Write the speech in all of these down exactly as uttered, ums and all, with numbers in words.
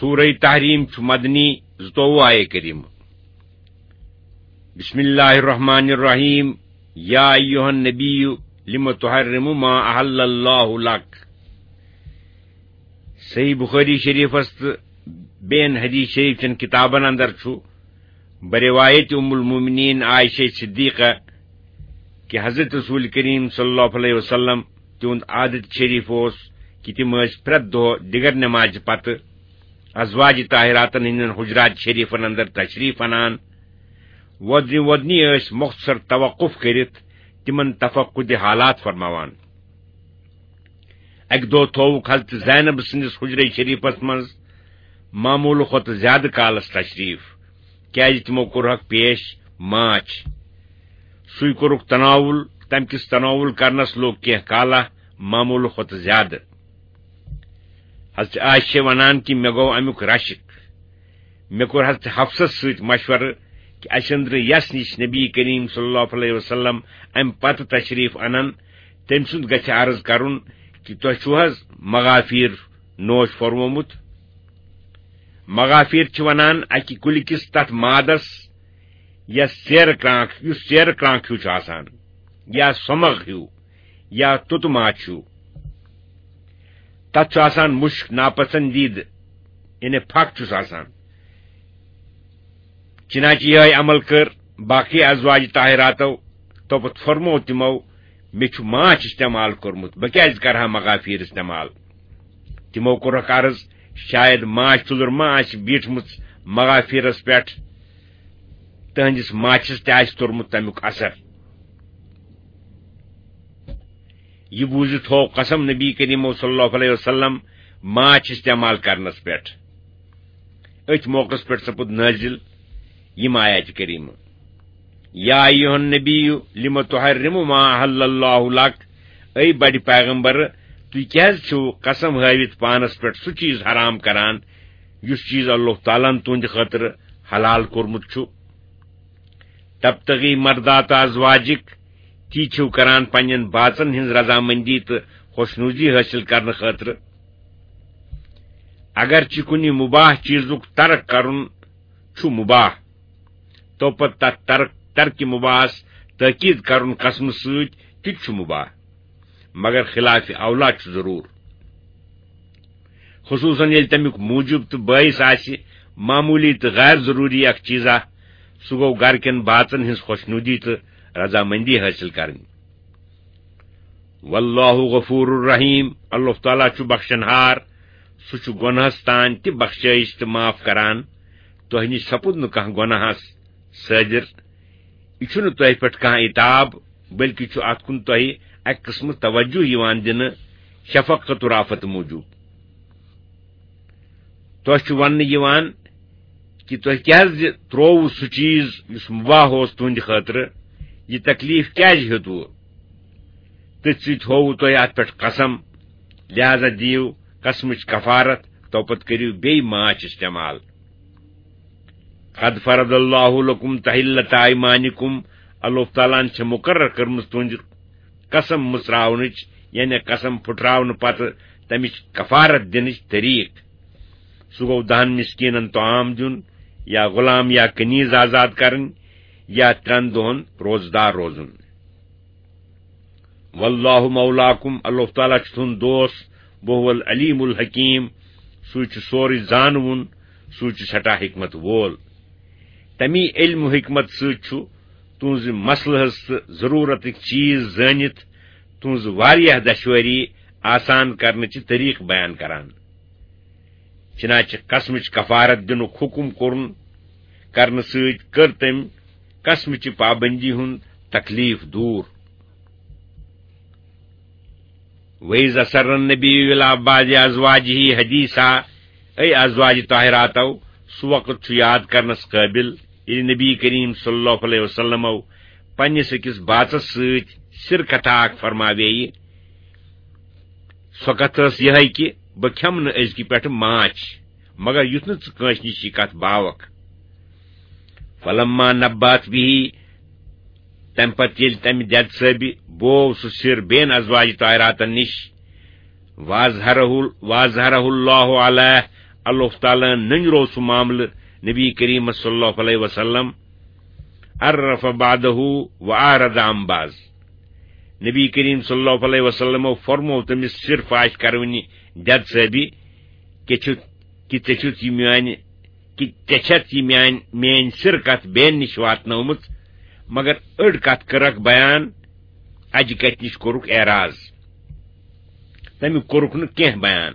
سورہ تحریم چھُ مدنی، زٕتووُہ آیے کریمہ۔ بسم اللہ الرحمن الرحیم۔ یا ایھا النبی لم تحرم ما احل اللہ لک۔ صحیح بخاری شریفس تہٕ بیٚین حدیث شریف چٮ۪ن کتابن اندر چھُ بروایت ام المومنین عائشہ صدیقہ کہ حضرت رسول کریم صلی اللہ علیہ وسلم تہنٛد عادت شریف اوس کہ تِم ٲسۍ پرٛٮ۪تھ دۄہ دِگر نمازِ پتہٕ ازواج طاہراتن ہٕنٛدٮ۪ن حجرات شریفن اندر تشریف انان۔ وۄدنہِ وۄدنہِ ٲسۍ مختصر توقف کٔرِتھ تِمن تفقد حالات فرماوان۔ اکہِ دۄہ تھووُکھ حضرت زینب سٕنٛدِس حجرے شریفس منٛز معموٗلہٕ کھۄتہٕ زیادٕ کالس تشریف، کیازِ تِمو کوٚرہکھ پیش ماچھ۔ سُے کوٚرُکھ تناول، تمہِ کِس تناول کرنس لوٚگ کینٛہہ کالا معموٗلہٕ کھۄتہٕ زیادٕ۔ حضرت عائشہ چھِ ونان کہِ مےٚ گوٚو امیُک رشک۔ مےٚ کوٚر حضرت حفصس سۭتۍ مشورٕ کہِ اسہِ أنٛدرٕ یس نِش نبی کریم صلی اللہ علیہ وسلم امہِ پتہٕ تشریف انن، تٔمۍ سُنٛد گژھِ عرض کرُن کہِ تۄہہِ چھُو حض مغافیر نوش فرمومُت؟ مغافیر چھِ ونان اکہِ کُلہِ کِس تتھ مادس یس ژیرٕ کرٛانٛکھ، یُس ژیرٕ کرٛانٛکھ ہیوٗ چھُ آسان، یا سۄمغ ہیوٗ، یا توٚتہٕ ماچھ ہیوٗ۔ تتھ چھُ آسان مُشک ناپسندیدٕ، یعنی پھکھ چھُس آسان۔ چنانچہ یہے عمل کٔر باقی ازواج طاہراتو، توپت فرمو تِمو، مےٚ چھُ ماچھ استعمال کوٚرمُت، بہٕ کیازِ کرٕ ہا مغافیر استعمال؟ تِمو کوٚرُکھ عرض، شاید ماچھ تُلر ما آسہِ بیٖٹھمٕژ مغافیرس پٮ۪ٹھ، تہنٛدِس ماچھس تہِ آسہِ توٚرمُت تمیُک اثر۔ یہِ بوٗزِتھ ہوو قسم نبی کریم صلی اللہ علیہ وسلم ماچھ استعمال کرنس پٮ۪ٹھ۔ أتھۍ موقعس پٮ۪ٹھ سپُد نٲزِل یِم آیات کریمہٕ، یا ایھا النبی لم تحرم ما احل اللہ لک۔ اے بڑِ پیغمبر، تُہۍ کیازِ چھِو قسم ہٲوِتھ پانس پٮ۪ٹھ سُہ چیز حرام کران یُس چیز اللہ تعالیٰ ہن تُہنٛدِ خٲطرٕ حلال کوٚرمُت چھُ؟ تبتغی مردات ازواجک، تی چھِو کران پننٮ۪ن باژن ہٕنٛز رضامندی تہٕ خۄشنودی حٲصِل کرنہٕ خٲطرٕ۔ اگرچہ کُنہِ مباح چیزُک ترک کرُن چھُ مباح، توپتہٕ تتھ ترک، ترکِ مباحس تاکید کرُن قسمہٕ سۭتۍ تہِ چھُ مباح، مگر خلاف اولا چھُ ضرور۔ خصوصاً ییٚلہِ تمیُک موجب تہٕ باعث آسہِ معمولی تہٕ غیر ضروری اکھ چیزا، سُہ گوٚو گرٕ کٮ۪ن باژن ہٕنٛز خۄشنودی تہٕ رضامندی حٲصِل کرٕنۍ۔ واللہ غفور الرحیم، اللہ تعالیٰ چھُ بخشن ہار، سُہ چھُ گۄنہس تام تہِ بخشٲیش تہٕ معاف کران۔ تۄہہِ نِش سپُد نہٕ کانٛہہ گۄناہس صٲدِر۔ یہِ چھُنہٕ تۄہہِ پٮ۪ٹھ کانٛہہ عتاب، بلکہِ چھُ اتھ کُن تۄہہِ اکہِ قٕسمہٕ توجہ یِوان دِنہٕ، شفقت و رافت موٗجوٗب۔ تۄہہِ چھُ وننہٕ یِوان کہِ تۄہہِ کیازِ ترووُ سُہ چیز یُس مباح اوس تُہنٛدِ خٲطرٕ؟ یہِ تکلیف کیازِ ہیوٚتوُ؟ تٔتھۍ سۭتۍ ہووُ تۄہہِ اتھ پٮ۪ٹھ قسم، لہذا دِیِو قسمٕچ کفارت، توپتہٕ کٔرِو بیٚیہِ ماچھ استعمال۔ قد فرض اللہ لکم تحلت ایمانکم، اللہ تعالیٰ ہن چھِ مقرر کٔرمٕژ تُہنٛدِ قسم مُژراونٕچ، یعنی قسم پھُٹراونہٕ پتہٕ تمِچ کفارت دِنٕچ طریٖق۔ سُہ گوٚو دہن مسکینن طعام دیُن، یا غلام یا کنیز آزاد کرٕنۍ، یا ترٛٮ۪ن دۄہن روزدار روزُن۔ واللہ مولاکم، اللہ تعالیٰ چھُ تُہُنٛد دوست، وہو العلیم الحکیم، سُے چھُ سورُے زانوُن، سُے چھُ سٮ۪ٹھاہ حکمت وول۔ تمی علم و حکمت سۭتۍ چھُ تُہنٛزِ مسلہٕ ہٕنٛز تہٕ ضروٗرتٕکۍ چیز زٲنِتھ تُہنٛز واریاہ دشوٲری آسان کرنٕچہِ طریٖقہٕ بیان کران۔ چنانچہ قسمٕچ کفارت دِنُک حکم کوٚرُن کرنہٕ سۭتۍ کٔر تٔمۍ قسمٕچہِ پابندی ہُنٛد تکلیف دوٗر۔ وَإِذْ أَسَرَّ النَّبِيُّ إِلَىٰ بَعْضِ أَزْوَاجِهِ حَدِيثًا، اے ازواج طاہراتو، سُہ وقت چھُ یاد کرنس قٲبل، ییٚلہِ نبی کریم صلی اللہ علیہ وسلمو پننِس أکِس باژس سۭتۍ سِر کتھا اکھ فرماوییہِ۔ سۄ کتھ ٲس یِہے کہِ بہٕ کھٮ۪مہٕ نہٕ أزکہِ پٮ۪ٹھٕ ماچھ، مگر یُتھ نہٕ ژٕ کٲنٛسہِ نِش یہِ کتھ باوکھ۔ فلما نبأت به، تمہِ پتہٕ ییٚلہِ تمہِ دٮ۪د صٲبہِ بوو سُہ سِر بیٚین ازواج طاہراتن نِش، وأظهره، وأظهره الله عليه، اللہ تعالیٰ ہن نٔنۍ روو سُہ معاملہٕ نبی کریم صلی اللہ علیہ وسلم، عرف بعضہ و اعرض عن بعض۔ نبی کریم صلی اللہ علیہ وسلم فرمو تٔمِس سر فاش کرونہِ دٮ۪د صٲبی، کہِ چھُ، کہِ ژےٚ چھُتھ یہِ میانہِ، کہِ ژےٚ چھَتھ یہِ میانہِ، میٲنۍ سر کتھ بیٚین نِش واتنٲومٕژ، مگر أڑ کتھ کٔرٕکھ بیان، اجہِ کتھِ نِش کوٚرُکھ اعراض، تمیُک کوٚرُکھ نہٕ کینٛہہ بیان۔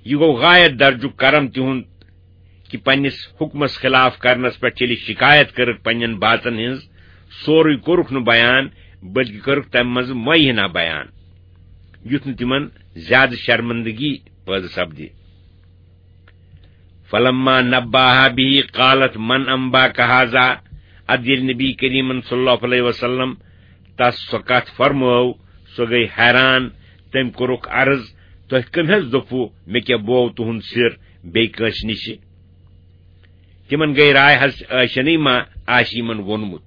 یہِ گوٚو غایت درجُک کرم تِہُنٛد کہِ پننِس حُکمس خلاف کرنس پٮ۪ٹھ ییٚلہِ شکایت کٔرٕکھ پننٮ۪ن باژن ہٕنٛز، سورُے کوٚرُکھ نہٕ بیان، بلکہِ کٔرٕکھ تمہِ منٛزٕ معینہ بیان، یُتھ نہٕ تِمن زیادٕ شرمندگی پٲدٕ سپدِ۔ فلما نباہا به قالت من انباک هذا۔ ادٕ ییٚلہِ نبی کریمن صلی اللہ علیہ وسلم تس سۄ کتھ فرمٲو، سۄ گٔے حیران۔ تٔمۍ کوٚرُکھ عرض، تۄہہِ کٔمۍ حض دوٚپوٕ مےٚ کیٛاہ بوو تُہُنٛد سِر بیٚیہِ کٲنٛسہِ نِشہِ؟ تِمن گٔے راے، حضرت عائشہ نٕے ما آسہِ یِمن ووٚنمُت۔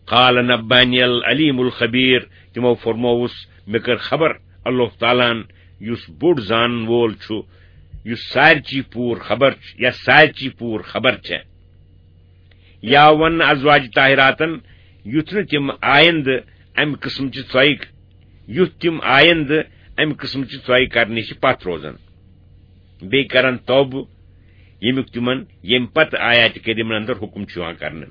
قال نبانی العلیم الخبیر، تِمو فرمووُس، مےٚ کٔر خبر اللہ تعالیٰ ہن یُس بوٚڑ زانن وول چھُ، یُس سارچی پوٗر خبر چھُ، یا سارچی پوٗر خبر چھےٚ۔ یا وَن ازواج طاہراتن، یُتھ نہٕ تِم آیندٕ امہِ قٕسمٕچہِ ژۄیہِ، یُتھ تِم آیندٕ امہِ قٕسمٕچہِ ژۄیہِ کرنہٕ نِش پتھ روزن۔ بیٚیہِ کرن توبہٕ، ییٚمیُک تِمن ییٚمہِ پتہٕ آیاتِ کریمن اندر حُکم چھُ یِوان کرنہٕ۔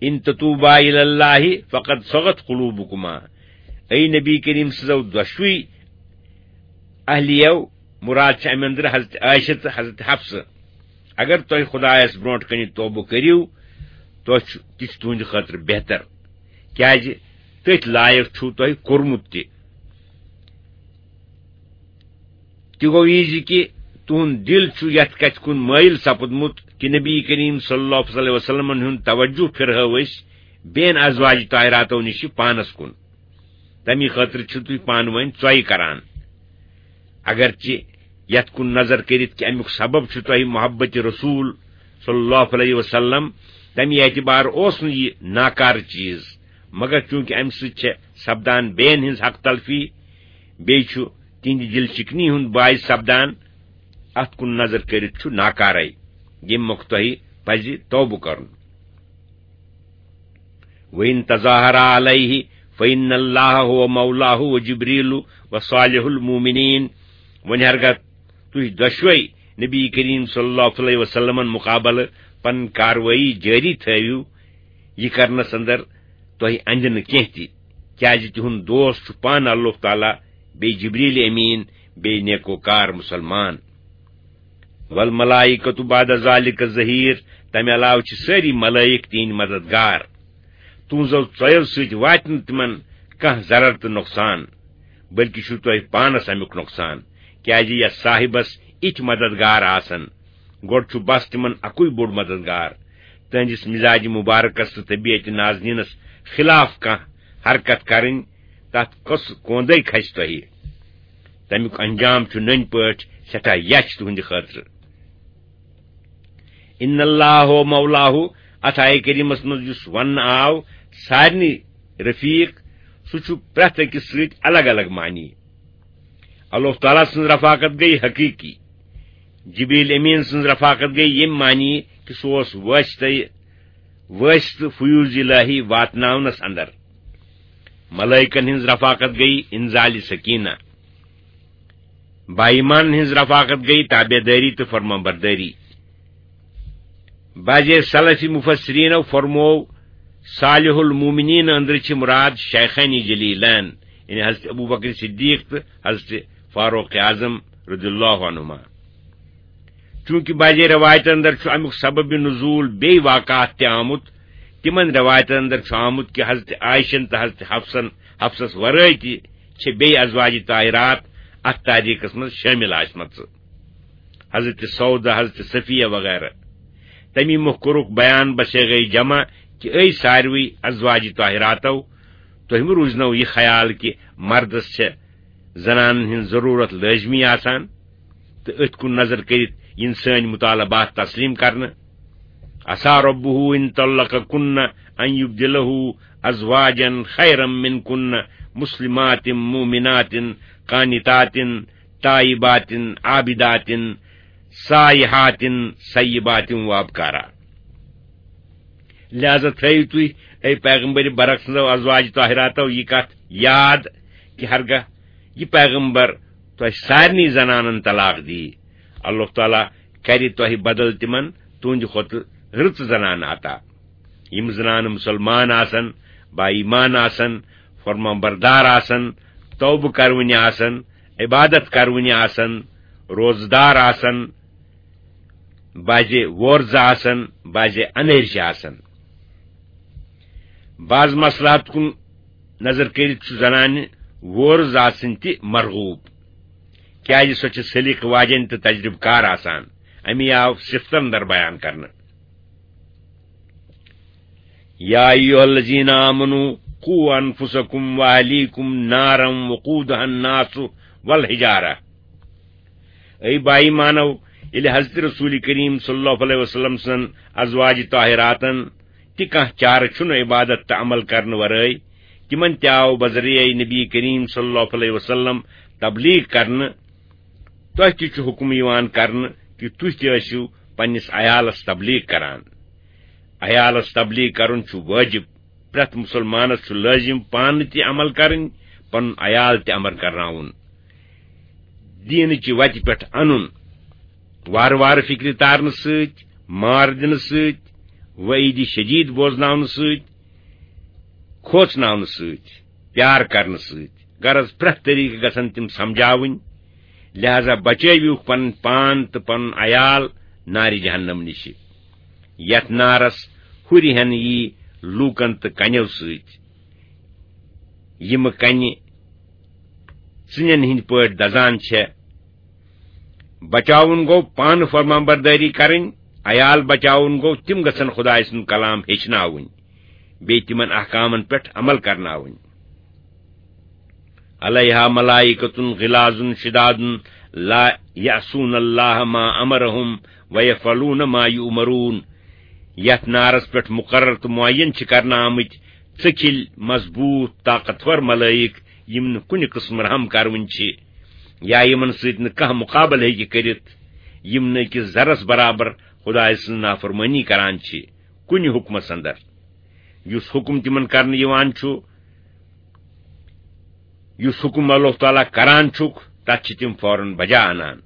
ان تتوبا الی اللہ فقد صغت قلوبکما۔ اے نبی کریم سٕنٛزو دۄشوٕے اہلیو، مراد چھِ امہِ اندرٕ حضرت عائشہ تہٕ حضرت حفصہ، اگر تۄہہِ خدایس برونٛٹھ کنہِ توبہٕ کٔرِو، تۄہہِ چھُ، تہِ چھُ تُہنٛدِ خٲطرٕ بہتر، کیازِ تٔتھۍ لایق چھُو تۄہہِ کوٚرمُت تہِ۔ تہِ گوٚو یہِ زِ کہِ تُہُنٛد دِل چھُ یَتھ کَتھِ کُن مٲیِل سپُدمُت کہِ نبی کریم صلی اللہ علیہ وسلمن ہُنٛد توجہ پھِرہٲو أسۍ بین ازواج طاہراتو نِش پانَس کُن۔ تَمی خٲطرٕ چھِو تُہۍ پانہٕ ؤنۍ ژۄیہِ کران۔ اگرچہِ یَتھ کُن نظر کٔرِتھ کہِ اَمیُک سبب چھُ تۄہہِ محبت رسول صلی اللہ علیہ وسلم، تَمی اعتبار اوس نہٕ یہِ ناکارٕ چیٖز، مگر چوٗنٛکہِ اَمہِ سۭتۍ چھےٚ سپدان بین ہٕنٛز حق تلفی، بیٚیہِ چھُ تِہنٛدِ دِل چِکنی ہُنٛد باعث سپدان، اَتھ کُن نظر کٔرِتھ چھُ ناکارے، ییٚمہِ مۄکھٕ تۄہہِ پزِ توبہٕ کرُن۔ وَإِن تَظَاهَرَا عَلَيْهِ فَإِنَّ اللَّهَ هُوَ مَوْلَاهُ وَجِبْرِيلُ وَصَالِحُ الْمُؤْمِنِينَ۔ وۄنۍ ہرگاہ تُہۍ دۄشوے نبی کریم صلی اللہ علیہ وسلمن مقابلہٕ پنٕنۍ کاروٲیی جٲری تھٲوِو، یہِ کرنس اندر تۄہہِ اندِ نہٕ کینٛہہ تہِ، کیازِ تِہُنٛد دوست چھُ پانہٕ اللہ تعالیٰ، بیٚیہِ جبریل امین، بیٚیہِ نیکوکار مسلمان۔ والملائکۃ بعد ذالک ظہیر، تمہِ علاوٕ چھِ سٲری ملائک تِہنٛدۍ مددگار۔ تُہنٛزو ژۄیو سۭتۍ واتہِ نہٕ تِمن کانٛہہ ضرر تہٕ نۄقصان، بلکہِ چھُو تۄہہِ پانس امیُک نۄقصان، کیازِ یتھ صاحبس اِتھۍ مددگار آسن، گۄڈٕ چھُ بس تِمن اکُے بوٚڑ مددگار۔ تہنٛدِس مزاج مبارکس تہٕ طبیعت نازنینس خلاف کانٛہہ حرکت کرٕنۍ، تتھ کۄس کوندے کھسہِ تۄہہِ؟ تمیُک انجام چھُ نٔنۍ پٲٹھۍ سٮ۪ٹھاہ یچھ تُہنٛدِ خٲطرٕ۔ ان اللہ ہو مولاہو، اتھ آیہِ کریمس منٛز یُس وننہٕ آو، سارنٕے رفیق، سُہ چھُ پرٛٮ۪تھ أکِس سۭتۍ الگ الگ معنی۔ اللہ تعالیٰ سٕنٛز رفاقت گٔے حقیقی، جبریل امین سٕنٛز رفاقت گٔے ییٚمہِ معنی کہِ سُہ اوس وٲسطے، وٲسطہٕ فیوض الہی واتناونس اندر۔ ملائکن ہٕنٛز رفاقت گٔے انزال سکینہ، بایمان ہٕنٛز رفاقت گٔے تابعدٲری تہٕ فرمانبردٲری۔ بعضے سلفی مفسرینو فرموو، صالح المومنین اندرٕ چھِ مراد شیخین جلیلین، یعنی حضرت ابو بکر صدیق تہٕ حضرت فاروق اعظم رضی اللہ عنہما۔ چونکہ بعضے روایتن اندر چھُ امیُک سبب نزول بیٚیہِ واقعات تہِ آمُت، تِمن روایتن اندر چھُ آمُت کہ حضرت عائشن تہٕ حضرت حفصن، حفصس ورٲے تہِ چھِ بیٚیہِ ازواج طاہرات اتھ تاریخس منٛز شٲمِل آسمژٕ۔ حضرت سودہ، حضرت صفیہ وغیرہ۔ تمی مۄکھ کوٚرُکھ بیان بصیغہ جمع کہ اے ساروی ازواج طاہراتو، تۄہہِ مہ روٗزنو یہِ خیال کہ مردس چھےٚ زنانن ہٕنٛز ضروٗرت لٲزمی آسان تہٕ أتھۍ کُن نظر کٔرِتھ یِن سٲنۍ مطالبات تسلیم کرنہٕ۔ عسیٰ ربہ ان طلقکن ان یبدلہ ازواجا خیرا منکن مسلمات مؤمنات قانتات تائباتن عابداتن سائحاتن سیباتن وابکارا۔ لہذا تھٲیِو تُہۍ، اے پیغمبر برک سٕنٛزو ازواج طاہراتو، یہِ کتھ یاد کہِ ہرگاہ یہِ پیغمبر تۄہہِ سارنٕے زنانن طلاق دی، اللہ تعالیٰ کرِ تۄہہِ بدل تِمن تُہنٛدِ کھۄتہٕ رٕژ زنانہٕ عطا۔ یِم زنانہٕ مسلمان آسن، با ایمان آسن، فرمان بردار آسن، توبہٕ کرونہِ آسن، عبادت کرونہِ آسن، روزدار آسن، بعضے وورزٕ آسن، بعضے انرچہِ آسن۔ بعض مصلحت کُن نظر کٔرِتھ چھُ زنانہِ وورز آسٕنۍ تہِ مرغوب، کیازِ سۄ چھِ سلیقہٕ واجٮ۪ن تہٕ تجربہٕ کار آسان۔ امی آو صفتن اندر بیان کرنہٕ۔ یا ایھا الذین آمنوا قوا انفسکم واہلیکم نارا وقودها الناس والحجارہ۔ اے با ایمانو، ییٚلہِ حضرت رسول کریم صلی اللہ علیہ وسلم سن ازواج طاہراتن تہِ کانٛہہ چارٕ چھُنہٕ عبادت تہٕ عمل کرنہٕ ورٲے، تِمن تہِ آو بذریعہ نبی کریم صلی اللہ علیہ وسلم تبلیغ کرنہٕ۔ تۄہہِ تہِ چھُ حکم یِوان کرنہٕ کہِ تُہۍ تہِ ٲسِو پننِس عیالس تبلیغ کران۔ عیالس تبلیغ کرُن چھُ وٲجِب۔ پرٛٮ۪تھ مُسلمانس چھُ لٲزِم پانہٕ تہِ عمل کرٕنۍ، پنُن عیال تہِ عمل کرناوُن، دیٖنٕچہِ وتہِ پٮ۪ٹھ انُن۔ وارٕ وارٕ فکرِ تارنہٕ سۭتۍ، مار دِنہٕ سۭتۍ، وعیدِ شدید بوزناونہٕ سۭتۍ، کھوژناونہٕ سۭتۍ، پیار کرنہٕ سۭتۍ۔ غرض، پرٛٮ۪تھ طریقہٕ گژھن تِم سمجھاوٕنۍ۔ لہذا بچٲوِو پنٕنۍ پان تہٕ پنُن عیال نارِ جہنم نِشہِ۔ یتھ نارس ہُرِ ہن یی لوٗکن تہٕ کنیو سۭتۍ، یِم کنہِ ژٕنٮ۪ن ہٕنٛدۍ پٲٹھۍ دزان چھےٚ۔ بچاوُن گوٚو پانہٕ فرمانبردٲری کرٕنۍ، عیال بچاوُن گوٚو تِم گژھن خدایہِ سُنٛد کلام ہیٚچھناوٕنۍ، بیٚیہِ تِمن احکامن پٮ۪ٹھ عمل کرناوٕنۍ۔ علیہا ملائکۃ غلاظ شداد لا یعصون اللہ ما امرہم ویفعلون ما یؤمرون۔ یتھ نارس پٮ۪ٹھ مقرر تہٕ معین چھِ کرنہٕ آمٕتۍ ژٔکھِلۍ، مضبوط، طاقتور ملائک، یِم نہٕ کُنہِ قٕسمہٕ رحم کرونۍ چھِ یا یِمن سۭتۍ نہٕ کانٛہہ مقابلہٕ ہیٚکہِ کٔرِتھ، یِم نہٕ أکِس ذرس برابر خدایہِ سٕنٛز نافرمٲنی کران چھِ کُنہِ حُکمس اندر۔ یُس حُکم تِمن کرنہٕ یِوان چھُ، یُس حُکم اللہ تعالیٰ کران چھُکھ، تتھ چھِ تِم فوراً بجا انان۔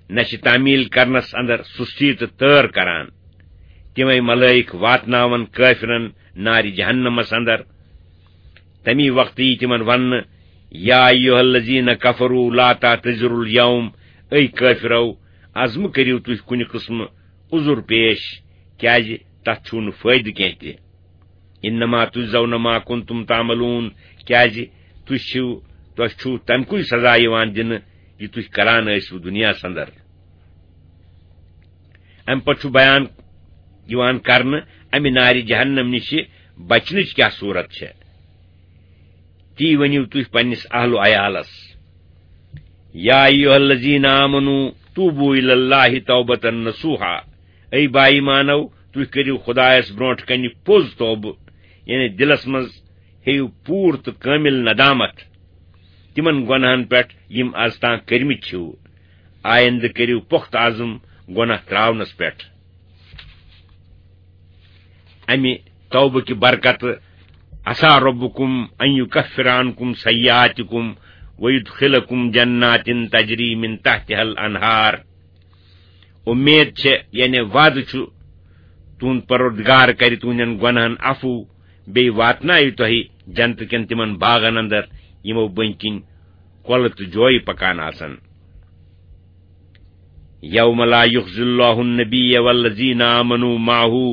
نہ چھِ تعمیل کرنس اندر سُستی تہٕ تٲر کران۔ تِمے ملائک واتناون کٲفرن نارِ جہنمس اندر۔ تمی وقتہٕ یی تِمن وننہٕ، یا ایھا الذین کفروا لا تعتذروا الیوم، اے کٲفرو، از مہٕ کٔرِو تُہۍ کُنہِ قٕسمہٕ عذر پیش، کیازِ تتھ چھُو نہٕ فٲیدٕ کینٛہہ تہِ۔ انما تجزون ما کنتم تعملون، کیازِ تُہۍ چھِو، تۄہہِ چھُو تمہِ کُے سزا یِوان دِنہٕ یہِ تُہۍ کران ٲسِو دُنیاہس اندر۔ امہِ پتہٕ چھُ بیان یِوان کرنہٕ امہِ نارِ جہنم نِشہِ بچنٕچ کیاہ صورت چھےٚ۔ تی ؤنِو تُہۍ پننِس اہل و عیالس۔ یا ایھا الذین آمنوا توبوا الی اللہ توبۃ نصوحا۔ اے با ایمانو، تُہۍ کٔرِو خدایس برونٛٹھ کنہِ پوٚز توبہٕ، یعنی دِلس منٛز ہیٚیِو پوٗرٕ تہٕ کٲمِل ندامت تِمن گۄناہن پٮ۪ٹھ یِم از تام کٔرمٕتۍ چھِو۔ آیندٕ کٔرِو پۄختہٕ عزم گۄناہ ترٛاونس پٮ۪ٹھ۔ امہِ توبہٕ کہِ برکتہٕ عسیٰ ربکم ان یکفر عنکم سیئاتکم ویدخلکم جنات تجری من تحتها الانہار۔ اُمید چھےٚ، یعنی وعدٕ چھُ، تُہُنٛد پروردگار کرِ تُہنٛدٮ۪ن گۄناہن عفو، بیٚیہِ واتنایہِ تۄہہِ جنتہٕ کٮ۪ن تِمن باغن اندر، یِمو بٔنۍ کِنۍ کۄلہٕ تہٕ جویہِ پکان آسن۔ یوم لا یخزی اللہ النبی والذین آمنوا معه،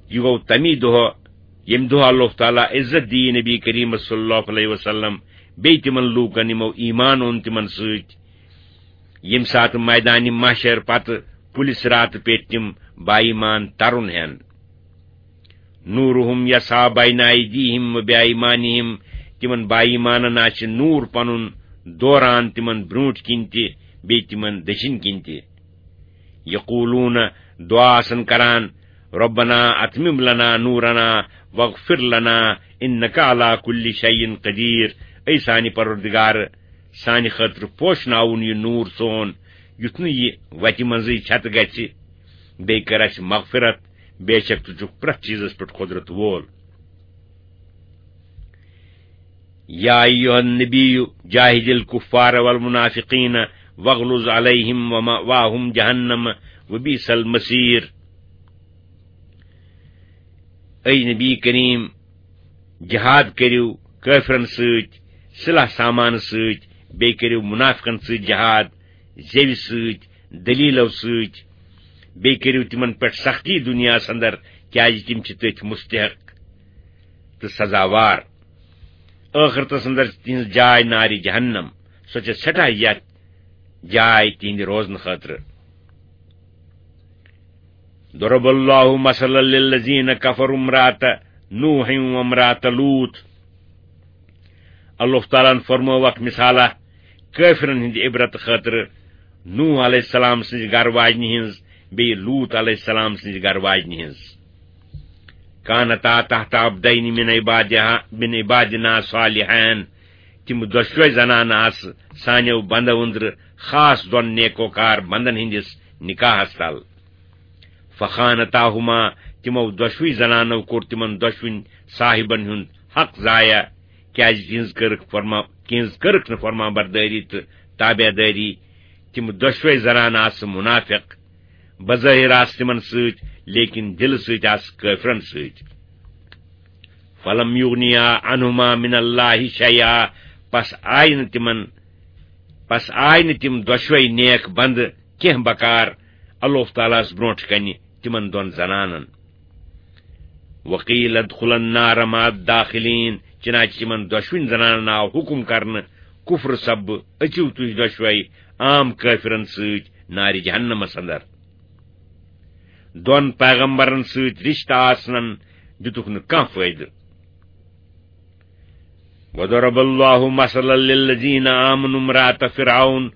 یہِ گوٚو تمی دۄہ، ییٚمہِ دۄہ اللہ تعالیٰ عزت دِیہِ نبی کریم صلی اللہ علیہ وسلم بیٚیہِ تِمن لوٗکن، یِمو ایمان اوٚن تِمن سۭتۍ، ییٚمہِ ساتہٕ میدانِ محشر پتہٕ پُلہِ صراطہٕ پیٚٹھۍ تِم با ایمان ترُن ہٮ۪ن۔ نورہم یسعیٰ بین ایدیہم و بایمانہم، تِمن با ایمانن آسہِ نوٗر پنُن دوران تِمن برٛونٛٹھ کِنۍ تہِ بیٚیہِ تِمن دٔچھِنۍ کِنۍ تہِ۔ یقولون، دعا آسن کران، ربنا اتمم لنا نورنا واغفر لنا انک علی کل شیء قدیر، اے سانہِ پروردگار، سانہِ خٲطرٕ پوشناوُن یہِ نوٗر سون، یُتھ نہٕ یہِ وتہِ منٛزٕے چھتہٕ گژھِ۔ بیٚیہِ کٔر اَسہِ مغفرت، بے شک ژٕ چھُکھ پرٛٮ۪تھ چیٖزس پٮ۪ٹھ قۄدرت وول۔ یا ایھا النبی جاہد الکفار والمنافقین واغلظ علیہم ومأواہم جہنم وبئس المصیر۔ اے نبی کریم، جہاد کٔرِو کٲفرن سۭتۍ، سلاح سامان سۭتۍ، بیٚیہِ کٔرِو منافقن سۭتۍ جہاد، زیوِ سۭتۍ، دلیلو سۭتۍ، بیٚیہِ کٔرِو تِمن پٮ۪ٹھ سختی دُنیاہس اندر، کیازِ تِم چھِ تٔتھۍ مستحق تہٕ سزاوار۔ ٲخرتس اندر چھِ تِہنٛز جاے نارِ جہنم، سۄ چھےٚ سٮ۪ٹھاہ یتھ جاے تِہنٛدِ روزنہٕ خٲطرٕ۔ ضرب اللہ مثلا للذین کفروا امرأة نوح وامرأة لوط۔ اللہ تعالیٰ ہن فرمٲو اکھ مثالہ کٲفرن ہٕنٛدِ عبرت خٲطرٕ، نوح علیہ السلام سٕنٛزِ گرٕ واجنہِ ہٕنٛز، بیٚیہِ لوط علیہ السلام سٕنٛزِ گرٕ واجنہِ ہٕنٛز۔ کانتا تحت عبدین من عبادہ، من عبادنا صالحین۔ تِم دۄشوے زنانہٕ آسہٕ سانیو بندو أنٛدرٕ خاص دۄن نیکوکار بندن ہٕنٛدِس نکاحس تل۔ فخانتاہما، تِمو دۄشوٕے زنانو کوٚر تِمن دۄشوٕنۍ صاحبن ہُنٛد حق ضایع، کیازِ تِہنٛز کٔرٕکھ فرما-، تِہنٛز کٔرٕکھ نہٕ فرما بردٲری تہٕ تابع دٲری۔ تِم دۄشوٕے زنانہٕ آسہٕ منافق، بظٲہر آسہٕ تِمن سۭتۍ، لیکن دِلہٕ سۭتۍ آسہٕ کٲفرن سۭتۍ۔ فلم یغنیا عنہما من اللہ شیئا، پس آیہِ نہٕ تِمن، پس آیہِ نہٕ تِم دۄشوے نیک بندٕ کینٛہہ بکار اللہ تعالیٰ ہس برونٛٹھ کنہِ تِمن دۄن زنانن۔ وقیل ادخلا النار مع الداخلین، چنانچہ تِمن دۄشوٕنۍ زنانن آو حکم کرنہٕ کفر سببہٕ، أژِو تُہۍ دۄشوے عام کٲفرن سۭتۍ نارِ جہنمس اندر۔ دۄن پیغمبرن سۭتۍ رشتہٕ آسنن دِتُکھ نہٕ کانٛہہ فٲیدٕ۔ وضرب اللہ مثلا للذین آمنوا امرأة فرعون۔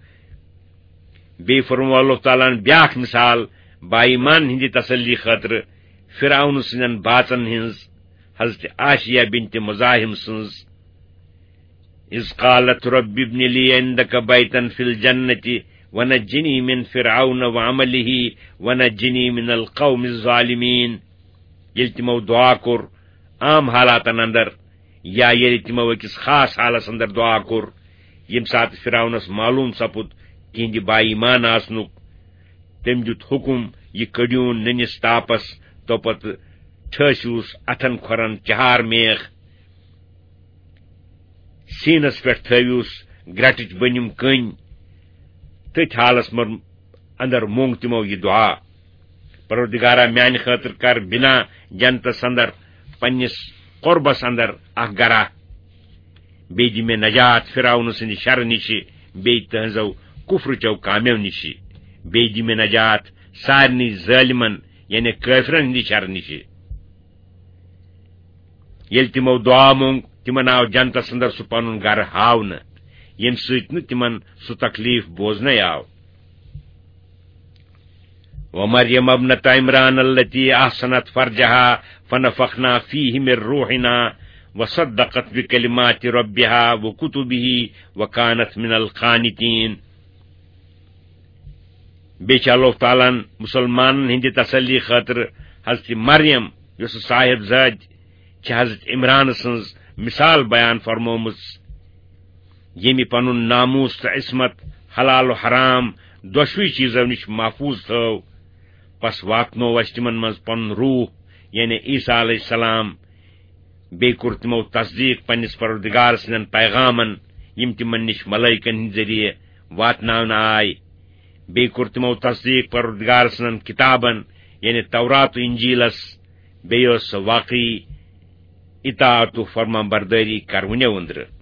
بیٚیہِ فرموو اللہ تعالیٰ ہن بیاکھ مثال با ایمان ہٕنٛدِ تسلی خٲطرٕ فرعون سٕنٛدٮ۪ن باژن ہٕنٛز، حضرت آسیہ بنت مزاحم سٕنٛز۔ اذ قالت رب ابن لی عندک بیتا فی الجنة ونجنی من فرعون وعملہ ونجنی من القوم الظالمین۔ ییٚلہِ تِمو دعا کوٚر عام حالاتن اندر، یا ییٚلہِ تِمو أکِس خاص حالس اندر دعا کوٚر، ییٚمہِ ساتہٕ فرعونس معلوم سپُد تِہنٛدِ با ایمان آسنُک، تٔمۍ دیُت حکم، یہِ کٔڑیوٗن نٔنِس تاپس، توپتہٕ ٹھٲسِوُس اتھن کھۄرن چہار میخ، سیٖنس پٮ۪ٹھ تھٲوِوُس گرٹٕچ بٔنِم کٔنۍ۔ تٔتھۍ حالس منٛز اندر مونگ تِمو یہِ دعا، پروردگارا، میانہِ خٲطرٕ کر بنا جنتس اندر پننِس قربس اندر اکھ گرا۔ بیٚیہِ دِ مےٚ نجات فرعون سٕنٛدِ شرٕ نِشہِ، بیٚیہِ تٕہنٛزو کفرٕچو کامیو نِشہِ۔ بیٚیہِ دِ مےٚ نجات سارنٕے ظٲلمن، یعنی کٲفرن ہٕنٛدِ شرٕ نِشہِ۔ ییٚلہِ تِمو دعا مونگ، تِمن آو جنتس اندر سُہ پنُن گرٕ ہاونہٕ، ییٚمہِ سۭتۍ نہٕ تِمن سُہ تکلیف بوزنَے آو۔ ومریم ابنت عمران التی احصنت فرجها فنفخنا فیہ من روحنا وصدقت بکلمات ربها وکتبه وکانت من القانتین۔ بیٚیہِ چھِ اللہ تعالیٰ ہن مسلمانن ہٕنٛدِ تسلی خٲطرٕ حضرت مریم، یۄسہٕ صاحب زادِ چھِ حضرت عمران سٕنٛز، مثال بیان فرمٲومٕژ، ییٚمہِ پنُن ناموس تہٕ عصمت، حلال و حرام دۄشوٕے چیٖزو نِش محفوظ تھٲو۔ پس واتنوو اَسہِ تِمن منٛز پنُن روح، یعنی عیسیٰ علیہ السلام، بیٚیہِ کوٚر تِمو تصدیٖق پننِس پروردگار سٕنٛدٮ۪ن پیغامن، یِم تِمن نِش ملائکن ہٕنٛدِ ذٔریعہٕ واتناونہٕ آے۔ بیٚیہِ کوٚر تِمو تصدیٖق پروردگار سٕنٛدٮ۪ن کِتابن، یعنی تورات و انجیلس۔ بیٚیہِ ٲس سۄ واقعی اطاعت و فرمان بردٲری کرونیو أنٛدرٕ۔